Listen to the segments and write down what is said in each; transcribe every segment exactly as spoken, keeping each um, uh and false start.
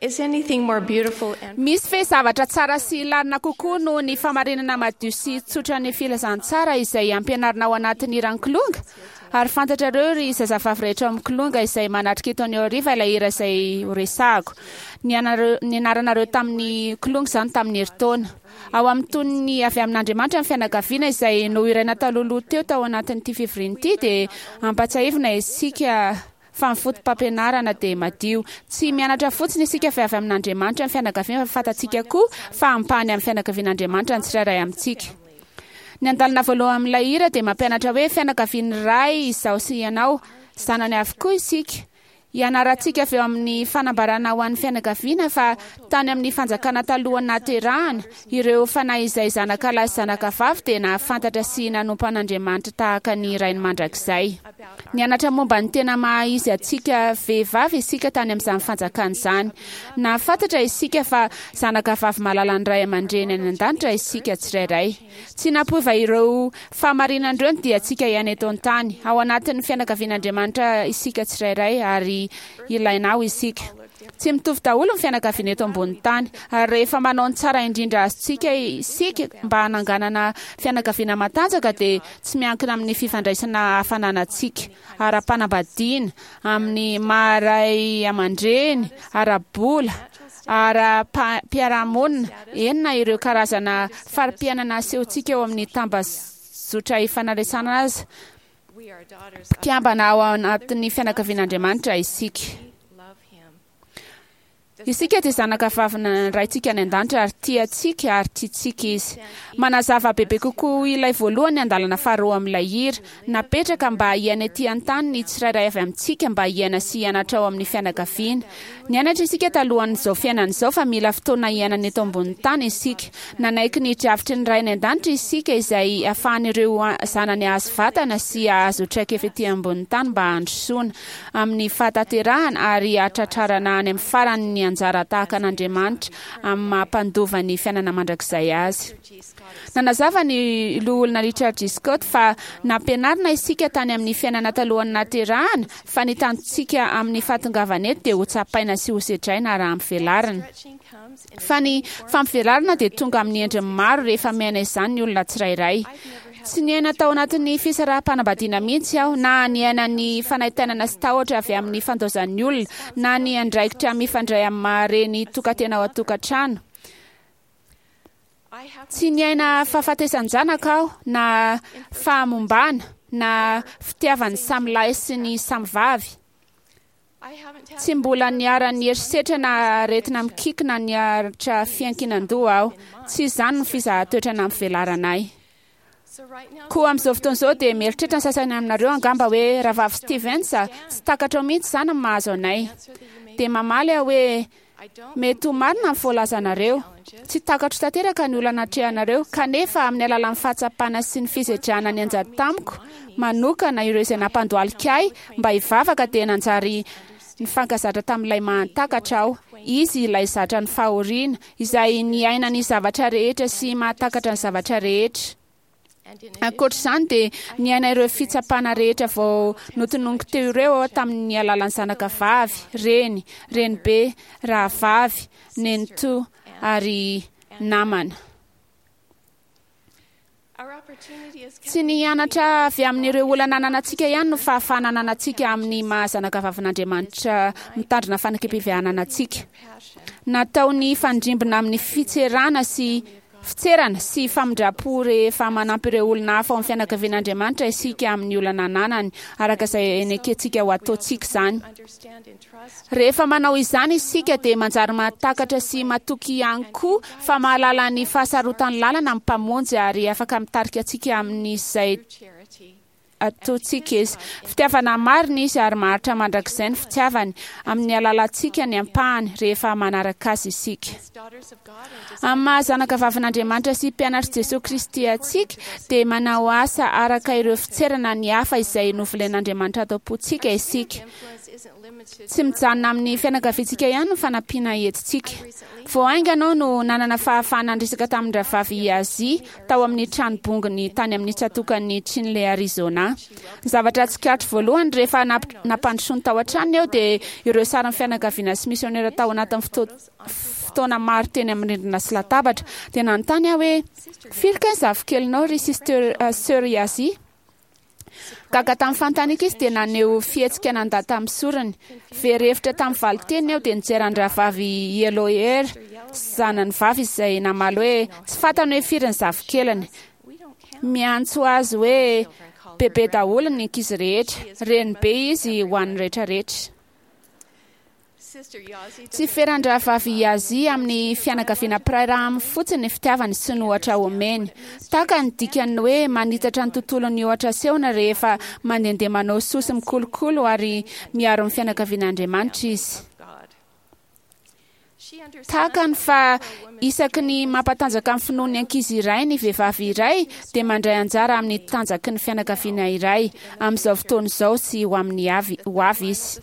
Is anything more beautiful and Misy ve zavatra tsara sy lalina kokoa noho ny famarinana madio sy tsotra ny filazantsara izay ampianarina ao anatin'ny hiran'ny Kilonga? Ary fantatrareo ry zazavavy rehetra ao amin'ny Kilonga izay manatrika eto anio hariva ilay hira izay horesahako. Nianareo- Nianaranareo tamin'ny Kilonga izany tamin'ny herintaona. Ao amin'ny tonony avy amin'Andriamanitra ny fianakaviana izay nohiraina talohaloha teo tao anatin'ity fivoriana ity dia ampatsiahivina isika fa ny foto-pampianarana dia madio. Tsy mianatra fotsiny isika fa avy amin'Andriamanitra ny fianakaviana fa fantatsika koa fa ampahany amin'ny fianakavian'Andriamanitra ny tsirairay amintsika. Ny andalana voalohany amin'ilay hira dia mampianatra hoe fianakavian'ny Ray izaho sy ianao, zanany avokoa isika. Ianarantsika avy eo amin'ny fanambarana ho an'ny fianakaviana fa tany amin'ny fanjakana talohan'ny nahaterahana, ireo fanahy izay zanaka lahy sy zanaka vavy dia nahafantatra sy nanompo an'Andriamanitra tahaka ny rainy mandrakizay. Nianatra momba ny tena maha izy antsika vehivavy isika tany amin'izany fanjakana izany. Nahafantatra isika fa zanaka vavy malalan'ny ray aman-dreny any an-danitra isika tsirairay. Tsy nampiova ireo fahamarinana ireo ny diantsika ihany eto an-tany. Ao anatin'ny fianakavian'Andriamanitra isika tsirairay ary ilaina ao isika. Tsy mitovy daholo ny fianakaviana eto ambony tany, ary rehefa manao ny tsara indrindra azontsika isika mba hananganana fianakaviana matanjaka dia tsy miankina amin'ny fifandraisana hafa ananantsika, ara-panambadiana, amin'ny maha ray aman-dreny, ara-bola, ara-piarahamonina, eny na ireo karazana fari-piainana asehontsika eo amin'ny tambazotra ifandraisana aza. we are daughters of Mpikambana ao anatin'ny fianakavian'Andriamanitra isika. love him. Isika dia zanaka vavina Raintsika any an-danitra ary tia antsika ary tiantsika izy. Manazava bebe kokoa ilay voalohany andalana faharoa amin'ilay hira. Napetraka mba hiaina ety an-tany ny tsirairay avy amintsika mba hiaina sy hianatra ao amin'ny fianakaviana. Nianatra isika talohan'izao fiainana izao fa mila fotoana hiainana eto ambonin'ny tany isika. Nanaiky ny drafitry ny Ray any an-danitra isika izay ahafahan'ireo zanany hahazo vatana sy hahazo traikefa ety ambonin'ny tany mba handrosoana amin'ny fahatanterahana ary hahatratrarana any amin'ny farany ny anjara tahaka an'Andriamanitra amin'ny maha-mpandova ny fiainana mandrakizay azy. G. Scott Nanazava ny loholona Richard G. Scott fa nampianarina isika tany amin'ny fiainana talohan'ny nahaterahana fa ny tanjontsika amin'ny fahatongavana eto dia ho tsapaina sy ho sedraina raha ampivelarina. stretching comes in Fa ny fampivelarana dia tonga amin'ny endriny maro rehefa miaina izany ny olona tsirairay. Tsy niaina tao anatin'ny fisaraham-panambadiana mihitsy aho, na niaina ny fanaintainana sy tahotra avy amin'ny fandaozan'ny olona, na ny andraikitra mifandray amin'ny maha reny tokan-tena ao an-tokantrano. I have Tsy niaina fahafatesan-janaka aho, na fahamombana, na fitiavan'ny samy lahy sy ny samy vavy. I haven't had Tsy mbola niharan'ny herisetra na aretina mikiky na niaritra fiankinan-doha aho. Tsy izany no fizahan-toetra nampivelarana ahy. so right now Koa amin'izao fotoana izao dia mieritreritra ny sasany aminareo angamba hoe Rahavavy Stevens, tsy takatrao mihitsy izany ny mahazo anay. answer that you may Dia mamaly aho hoe I don't mety ho marina ny voalazanareo. Tsy takatro tanteraka ny olana atrehanareo, kanefa amin'ny alalan'ny fahatsapana sy ny fisedrana ny anjady tamiko manokana ireo izay nampandohalika ahy mba hivavaka dia nanjary nifankazatra tamin'ilay mahatakatra aho. Izy ilay zatra ny fahoriana, izay niaina ny zavatra rehetra sy mahatakatra ny zavatra rehetra. and in Ankoatra izany dia niaina ireo fitsapana rehetra vao notononiko teo ireo aho tamin'ny alalan'ny zanaka vavy, reny, renibe, rahavavy, nenitoa ary namana. our opportunity is Tsy ny hianatra avy amin'ireo olana ananantsika ihany no fahafahana ananantsika amin'ny maha zanaka vavin'Andriamanitra mitandrina fanekem-pihavanana antsika. passion Natao ny fandrimbona amin'ny fitserana sy fitserana sy famindram-po rehefa manampy ireo olona hafa ao amin'ny fianakavian'Andriamanitra isika amin'ny olana ananany, araka izay nekentsika ho ataontsika izany. understand and trust Rehefa manao izany isika dia manjary mahatakatra sy matoky ihany koa fa mahalala ny fahasarotan'ny lalana amin'ny mpamonjy ary afaka mitarika antsika amin'izay charity ataontsika izy. Fitiavana marina izy ary maharitra mandrakizay ny fitiavany amin'ny alalantsika ny ampahany rehefa manaraka azy isika. as daughters of God and Amin'ny maha zanaka vavin'Andriamanitra sy mpianatr'i Jesoa Kristy antsika dia manao asa araka ireo fitserana ny hafa izay novolen'Andriamanitra ato am-pontsika isika. influence isn't limited Tsy mijanona amin'ny fianakaviantsika ihany ny fanampiana entintsika. Vao haingana aho no nanana fahafahana niresaka tamin'ny rahavavy Yazzie tao amin'ny tranobongony tany amin'ny tsatòkan'i Chinle, Arizona. Ny zavatra tsikaritro voalohany rehefa nampandrosoany tao an-tranony aho dia ireo sarin'ny fianakaviana sy misionera tao anatin'ny fotoana maro teny amin'ny rindrina sy latabatra. Dia nanontany aho hoe: "Firy kay ny zafikelinao ry Sister Sœur Yazzie?" Gaga tamin'ny fanontaniako izy dia naneho fihetsika nandà tamin'ny sorony. Very hevitra tamin'ny valin-teniny aho dia nijery an-drahavavy Yellowhair, zanany vavy, izay namaly hoe tsy fantany hoe firy ny zafikeliny. Miantso azy hoe bebe daholo ny ankizy rehetra. Renibe izy ho an'ny rehetrarehetra. Tsy feran-drahavavy Yazzie amin'ny fianakaviana mpiray rà aminy fotsiny ny fitiavany sy ny ohatra omeny. Tahaka ny dikan'ny hoe manitatra ny tontolon'ny ohatra asehony rehefa mandehandeha manao soa sy mikolokolo ary miaro ny fianakavian'Andriamanitra izy. Tahaka ny fa isaky ny mampatanjaka ny finoan'ny ankizy iray ny vehivavy iray dia mandray anjara amin'ny tanjaky ny fianakaviana iray amin'izao fotoana izao sy ho amin'ny avy ho avy izy.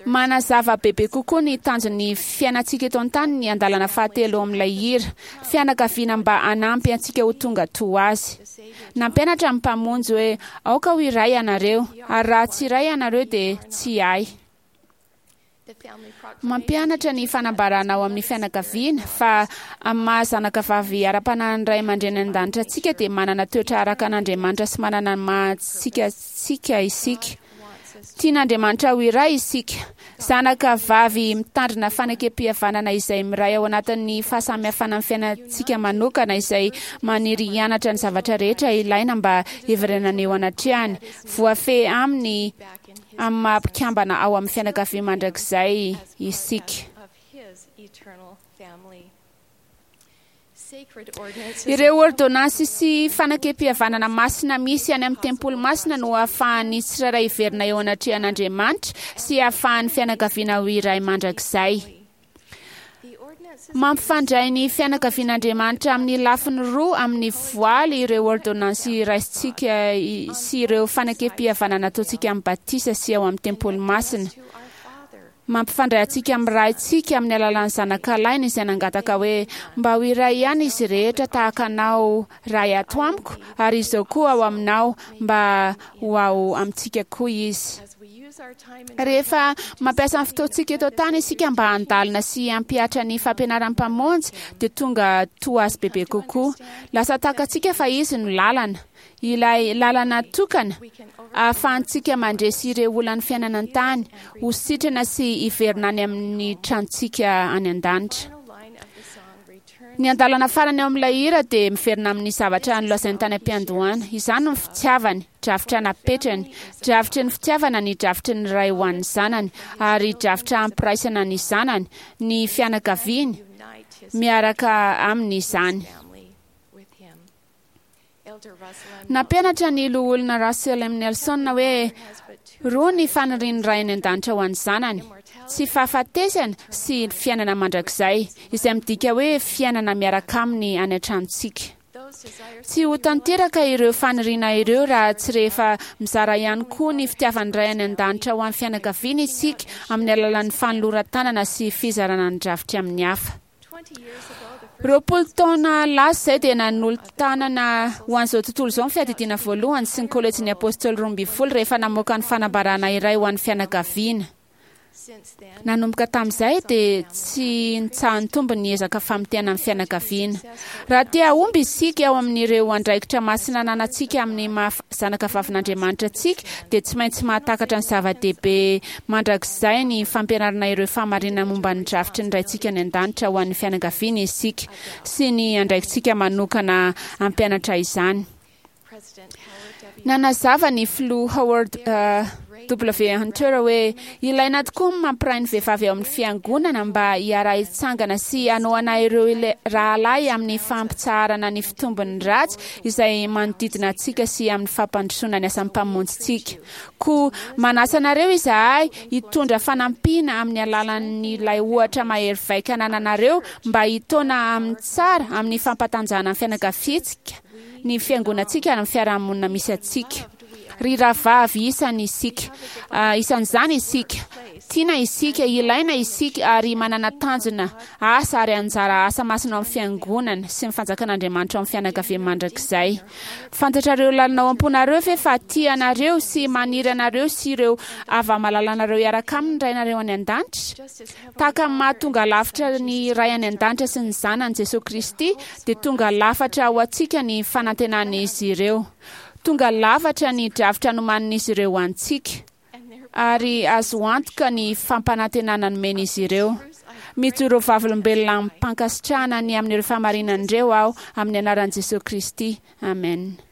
Manazava bebe kokoa ny tanjon'ny fiainantsika eto an-tany ny andalana fahatelo amin'ilay hira, fianakaviana mba hanampy antsika ho tonga toa azy. Nampianatra ny Mpamonjy hoe aoka ho iray ianareo, ary raha tsy iray ianareo dia tsy ahy. Mampianatra ny fanambarana ao amin'ny fianakaviana fa amin'ny maha zanakavavy ara-panahin'ny ray aman-dreny an-danitra antsika dia manana toetra araka an'Andriamanitra sy manana ny maha antsika antsika isika. Tian'Andriamanitra ho iray isika. Zanakavavy mitandrina fanekem-pihavanana izay miray ao anatin'ny fahasamihafana amin'ny fiainantsika manokana izay maniry hianatra ny zavatra rehetra ilaina mba hiverenana eo anatrehany. Voafehy aminy amin'ny maha mpikambana ao amin'ny fianakaviany mandrakizay isika. Ireo ôrdônansy sy fanekem-pihavanana masina misy any amin'ny tempoly masina no ahafahan'ny tsirairay hiverina eo anatrehan'Andriamanitra sy ahafahan'ny fianakaviana ho iray mandrakizay. Mampifandray ny fianakavian'Andriamanitra amin'ny lafiny roa amin'ny voaly ireo ôrdônansy raisintsika sy ireo fanekem-pihavanana ataontsika amin'ny batisa sy ao amin'ny tempoly masina. Mampifandray antsika amin'ny Raintsika amin'ny alalan'ny Zanakalainy izay nangataka hoe mba ho iray ihany izy rehetra tahaka anao Ray ato amiko ary izao koa ao aminao mba ho ao amintsika koa izy. Rehefa mampiasa ny fotoantsika eto an-tany isika mba handalina sy hampihatra ny fampianaran'ny Mpamonjy dia tonga toa azy bebe kokoa. Lasa takantsika fa izy no lalana. Ilay lalana tokana ahafahantsika mandresy ireo olan'ny fiainana an-tany, ho sitrana sy hiverina any amin'ny tranontsika any an-danitra. Ny andalana farany ao amin'ilay hira dia miverina amin'ny zavatra nolazainy tany am-piandohana. Izany no fitiavany, drafitra napetrany, drafitry ny fitiavana ny drafitry ny Ray ho an'ny zanany, ary drafitra hampiraisana ny zanany, ny fianakaviany, miaraka aminy izany. Nampianatra ny Loholona Russell M. Nelson hoe roa ny fanirian'ny Ray any An-danitra ho an'ny zanany, tsy fahafatesana sy fiainana mandrakizay, izay midika hoe fiainana miaraka aminy any an-tranontsika. Tsy ho tanteraka ireo faniriana ireo raha tsy rehefa mizara ihany koa ny fitiavan'ny Ray any An-danitra ho an'ny fianakaviana isika amin'ny alalan'ny fanoloran-tanana sy fizarana ny drafitra amin'ny hafa. Roapolo taona lasa izay dia nanolo-tanana ho an'izao tontolo izao ny Fiadidiana Voalohany sy ny Kolejin'ny Apôstôly Roa Ambin'ny Folo rehefa namoaka ny fanambarana iray ho an'ny fianakaviana. Nanomboka tamin'izay dia tsy nitsaha-nitombo ny ezaka famotehana ny fianakaviana. Raha te hahomby isika ao amin'ireo andraikitra masina ananantsika amin'ny maha zanakavavin'Andriamanitra antsika dia tsy maintsy mahatakatra ny zava-dehibe mandrakizay ny fampianarana ireo fahamarinana momba ny drafitry ny Raintsika any An-danitra ho an'ny fianakaviana isika sy ny andraikitsika manokana hampianatra izany. Nanazava ny Filoha Howard W. Hunter hoe ilaina tokoa ny mampiray ny vehivavy ao amin'ny fiangonana mba hiara-hitsangana sy hanohana ireo rahalahy amin'ny fampitsaharana ny fitombon'ny ratsy izay manodidina antsika sy amin'ny fampandrosoana ny asan'ny Mpamonjintsika. Koa manasa anareo izahay hitondra fanampiana amin'ny alalan'ilay ohatra mahery vaika anananareo mba hitaona amin'ny tsara amin'ny fampatanjahana ny fianakaviantsika, ny fiangonantsika ary ny fiarahamonina misy antsika. Ry rahavavy, isany isika, isan'izany isika, tiana isika, ilaina isika, ary manana tanjona, asa ary anjara asa masina ao amin'ny fiangonana sy ny fanjakan'Andriamanitra ao amin'ny fianakaviany mandrakizay. Fantatrareo lalina ao am-ponareo ve fa tia anareo sy maniry anareo sy ireo hava-malalanareo hiaraka aminy ny Rainareo any an-danitra? Tahaka ny mahatonga lafatra ny Ray any an-danitra sy ny Zanany Jesosy Kristy, dia tonga lafatra ho antsika ny fanantenan'izy ireo. Tonga lafatra ny drafitra nomanin'izy ireo ho antsika, ary azo antoka ny fampanantenana nomen'izy ireo. Mijoro vavolombelona amim-pankasitrahana ny amin'ireo fahamarinan'ireo aho amin'ny anaran'i Jesosy Kristy. Amen.